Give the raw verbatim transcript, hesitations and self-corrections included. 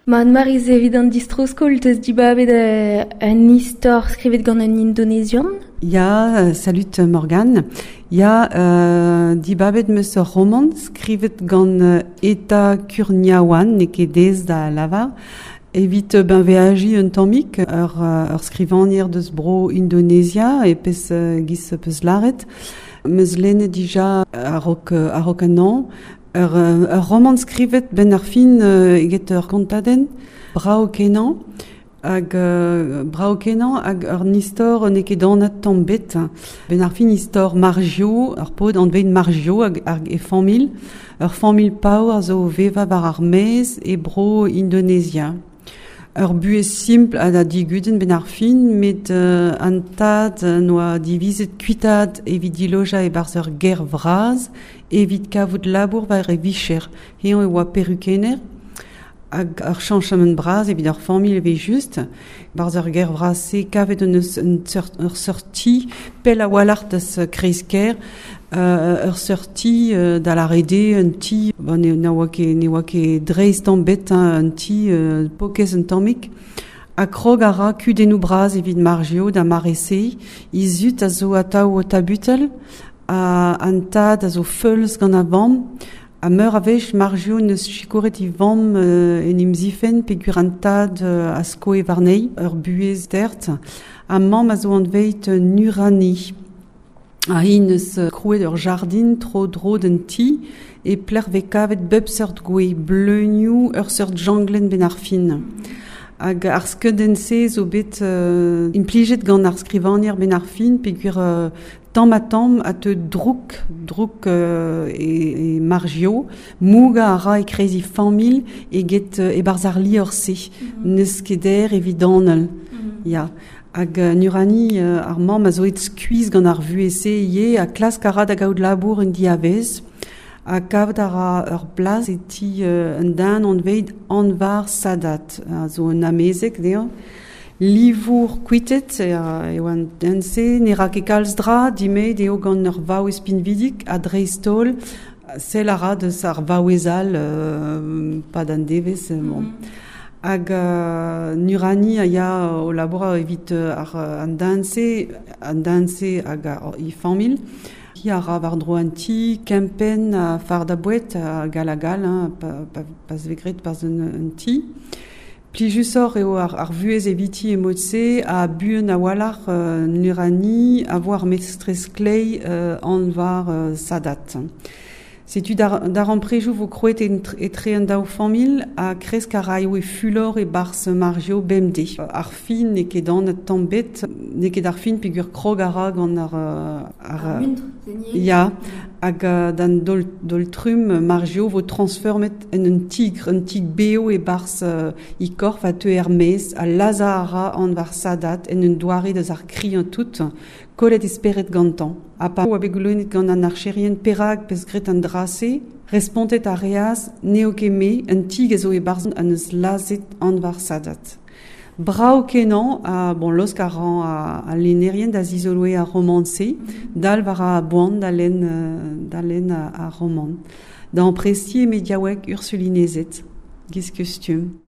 Ma Anne-Marie evit an distro-skol teus dibabet un istor skrivet gant un Indonezian? Ya, salut Morgane. Ya, euh, dibabet meus ur roman skrivet gant Eta Kurniawan, n'eo ket aes da lavar, evit ben veaji un tammig ur, ur skrivagner deus bro Indonezia e pez giz peus laret. Meus lennet dija a-raok a-raok an an. Ur, ur roman skrivet ben ar fin euh, eget ur kontadenn, brao kenañ, hag euh, brao kenañ hag ur istor n'eo ket anat tamm bet. Ben ar fin istor Margio, ur paotr anvet Margio hag, hag e familh, ur familh paour a zo veva war ar maez e bro Indonezia. Ur buhez simpl ha da digudenn ben ar fin, met euh, an tad noa divizet kuitaat evit diloja e-barzh ur ger vras, evit kavout labour war e vicher. Eñ e oa perukenner, hag ur chañchamant bras evit ar familh eo just. Barzh ur ger vras-se kavet un eus un seurt, ur seurt ti, pell a-walc'h deus kreiz-kêr, euh, ur seurt ti euh, da lâret eo un ti, bon, ne, na oa ket, ne oa ket dreist tamm bet, hein, un ti euh, pokez un tammig. Ha krog a ra kudennoù bras evit Margio da mare-se, he zud a zo atav o tabutel, ha an tad a zo feuls gant ar vamm, ha meur a wech Margio neus sikouret e vamm euh, en em zifenn peogwir an tad euh, a skoe warnezhi, ur buhez tert, ha mamm a zo anvet Nurani. Ha hi neus krouet ur jardin tro-dro d'an ti e pelec'h vez kavet bep seurt gwez, bleunioù, ur seurt janglenn ben ar fin. Hag ar skeudenn-se zo bet euh, implijet gant ar skrivagner ben ar fin peogwir euh, tamm ha tamm a teu drouk, drouk euh, e, e Margio, mougañ a ra e-kreiz e familh eget euh, e-barzh ar liorzh-se. Mm -hmm. N'eus ket aer evit anal. Mm -hmm. Ya. Hag euh, Nurani euh, ar mamm a zo aet skuizh gant ar vuhez-se ivez ha klask a ra da gaout labour en diavez. Ha kavet a ra ur plas e ti euh, un den anvet Anwar Sadat, a zo un amezeg dezhañ. Livour kuitet eo an den-se, ne ra ket kalz dra, dimezet eo gant ur vaouez pinvidik ha dreist-holl, sell a ra deus ar vaouez all euh, pad an devezh. Bon. Mm -hmm. Hag euh, Nurani a ya o labourat evit ar an den-se, an den-se hag ar e familh. Hi a ra war-dro an ti, kempenn ha fardañ boued ha gal ha gal, hein, pa, pa, pa vez graet barzh un, un ti. Plijusoc'h eo ar, ar vuhez eviti e mod-se ha buan a-walc'h euh, Nurani a vo ar mestrez kleiz euh, Anwar euh, Sadat. Setu dar, darempredoù vo krouet etre an daou familh ha kresk a raio e fulor e-barzh Margio bemdez. Ar fin n'eo ket anat tamm bet, n'eo ket ar fin peogwir krog a ra gant ar... ar, ar muntr, Ya, hag d'an daol, daol trumm Margio vo transformet en un tigr, un tigr bev e-barzh uh, e korf a teu er-maez, ha lazhañ a ra Anwar Sadat en un doare deus ar kriañ tout, kollet e spered gantañ. Ha pa oa bet goulennet gant an archerien perak peus graet an dra-se, respontet a reas n'eo ket me, un tigr a zo e-barzh an eus lazhet Anwar Sadat. Brav kenañ, ha bon, laosk a ran a, a lennerien da zizoloiñ ar romant-se, dal war a boan da lenn, da lenn ar romant. Da amprestiñ e mediaoueg Ursulinezed, giz kustum.